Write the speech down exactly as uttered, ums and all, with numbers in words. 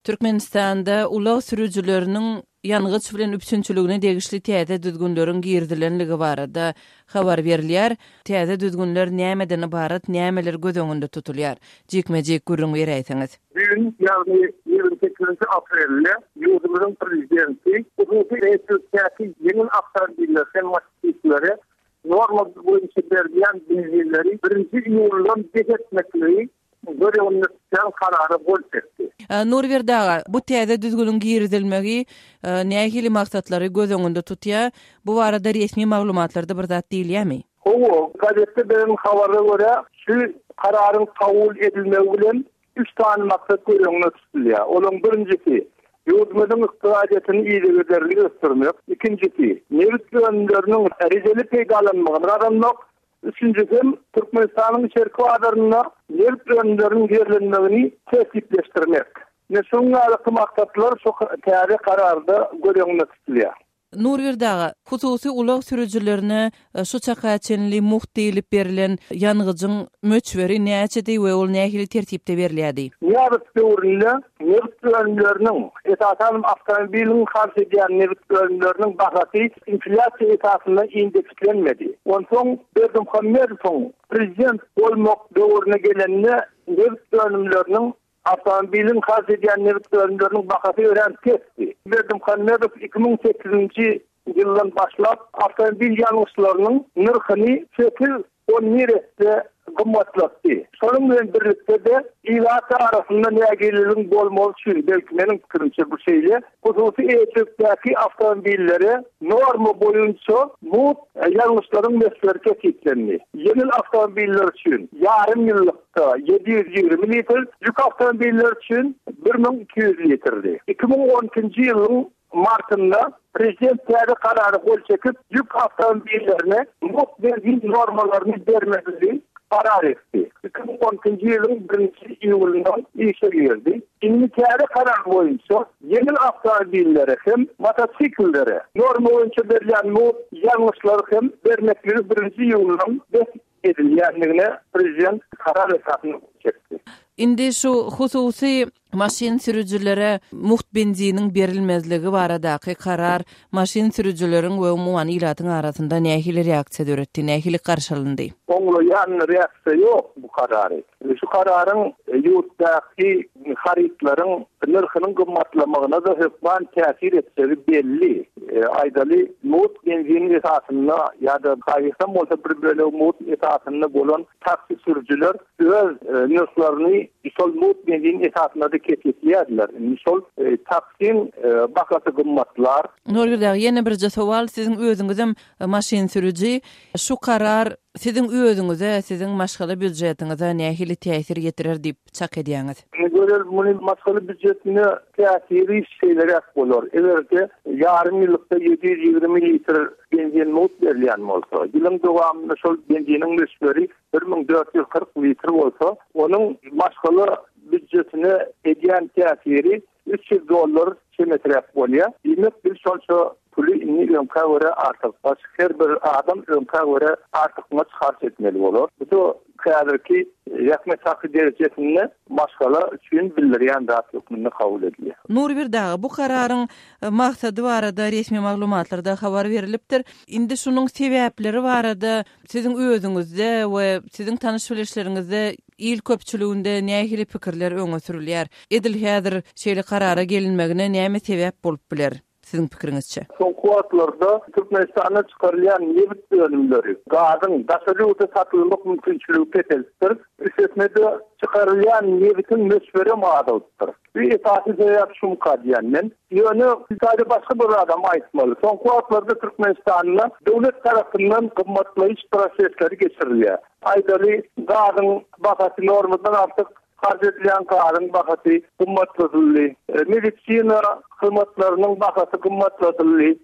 Türkmenistanda ulag sürüjileriniň ýangyç bilen üpjünçiligine degişli täze düzgünleriň girizilenligi barada habar berilýär. Täze düzgünler nämeden ybarat, nämeler göz öňünde tutulýar? Jikme-jik gürrüň beräýseňiz. Düýn, ýagny ýigrimi sekizinji aprelde ýurdumyzyň prezidenti hususy eýeçilikdäki ýeňil awtomobiller hem motosiklere norma boýunça berilýän benzinleri birinji iýuldan bes etmekligi göz öňünde tutýan karara gol çekdi. Nurberdi aga, bu täze düzgüniň girizilmegi nähili maksatlary göz öňünde tutýar? Bu barada resmi maglumatlarda bir zat diýilýärmi? Hawa, gazetde beren habara görä, şu kararyň kabul edilmegi bilen üç sany maksat göz öňünde tutulýar. Olaryň birinjisi ýurdumyzyň ykdysadyýetini yzygiderli ösdürmek, ikinjisi nebit önümleriniň rejeli peýdalanmagyny gazanmak, üçünjisi hem Türkmenistanyň içerki bazarynda nebit önümleriniň ýerlenmegini tertipleşdirmek. Ine şunuň ýaly maksatlar şu täze kararda göz öňünde tutulýar. Nurberdi aga, hususy ulag sürüjilerine şu çaka çenli mugt diýlip berilen ýangyjyň möçberi näçedi we ol nähili tertipde berilýärdi? Nyýazow döwründe nebit önümleriniň, esasan awtomobiliň harç edýän nebit önümleriniň bahasy inflýasiýa esasynda indekslenmedi. Onsoň Berdimuhamedowyň prezident bolmak döwrüne gelende nebit önümleriniň, awtomobiliň harç edýän nebit önümleriniň bahasy örän pesdi. Berdimuhamedow iki müň sekizinji ýyldan başlap awtomobil ýangyçlarynyň nyrhyny sekiz on bir esse gymmatlatdy. Şonuň bilen birlikde-de ilat arasynda nägileligiň bolmagy üçin, belki meniň pikirimçe bu şeýle, hususy eýeçilikdäki awtomobillere norma boýunça mugt ýangyçlaryň möçberi kesgitlendi. Ýeňil awtomobiller üçin ýarym ýyllykda ýedi ýüz ýigrimi litr, ýük awtomobiller üçin bir müň iki ýüz litrdi. Iki müň on ikinji ýylyň martynda prezident täze karara gol çekip, ýük awtomobillerine mugt benzin normalaryny bermezligi karar etdi. Iki müň on ikinji ýylyň birinji iýulyndan işe girdi. Indi täze karar boýunça ýeňil awtomobillere hem motosikllere norma boýunça berilýän mugt ýangyçlary hem bermekligi birinji iýulyndan bes edilýändigine prezident karar esasynda gol çekdi. Indi şu hususy maşyn sürüjilere mugt benziniň berilmezligi baradaky karar maşyn sürüjileriň we umuman ilatyň arasynda nähili reaksiýa döretdi, nähili garşylyndy? Oňlaýan reaksiýa ýok bu karary. Şu kararyň ýurtdaky harytlaryň nyrhynyň gymmatlamagyna da hökman täsir etjegi belli. E, aýdaly mugt benziniň esasynda ýa-da haýsam bolsa bir bölegi mugt esasynda bolan taksi sürüjiler öz, e, nyrhlaryny şol mugt benzin esasynda da kesgitleýärdiler. Indi şol, e, taksiň, e, bahasy gymmatlar. Nurberdi aga, ýene birje sowal, siziň özüňizem maşyn sürüji. Şu karar siziň özüňize, siziň maşgala býudjetiňize nähili täsir ýetirer diýip çak edýäňiz? Gözel, muny maşgala býudjetine täsiri şeýleräk bolar. Eger-de ýarym ýyllykda ýedi ýüz ýigrimi litr benzin mugt berilýän bolsa, ýylyň dowamynda şol benziniň möçberi bir müň dört ýüz kyrk litr bolsa, onuň maşgala býudjetine edýän täsiri üç ýüz dollar çemesiräk bolýar. Diýmek, biz şonça puly indi öňkä görä artykmaç, her bir adam öňkä görä artykmaç harç etmeli bolar. Bu da häzirki zähmet haky derejesinde maşgala üçin bildirýän zat hökmünde kabul edilýär. Nurberdi aga, bu kararyň maksady barada resmi maglumatlarda habar berilipdir. Indi şunuň sebäpleri barada siziň özüňizde we siziň tanyş bilişleriňizde il köpçüliginde nähili pikirler öňe sürülýär? Edil häzir şeýle karara gelinmegine näme sebäp bolup biler siziň pikiriňizçe? Soňky wagtlarda Türkmenistanda çykarylýan nebit önümleri, gazyň daşary ýurda satylmak mümkinçiligi peselipdir. Üstesine-de çykarylýan nebitiň möçberi hem azalypdyr. Bu esasy sebäp şumka diýen men. Ýöne sadece başga bir adam aýtmaly. Soňky wagtlarda Türkmenistanda döwlet tarapyndan gymmatlaýyş prosesleri geçirilýär. Aýdaly gazyň bahasy normadan artyk harç edilýän gazyň bahasy gymmatladyldy. E, medisina hyzmatlarynyň bahasy gymmatladyldy.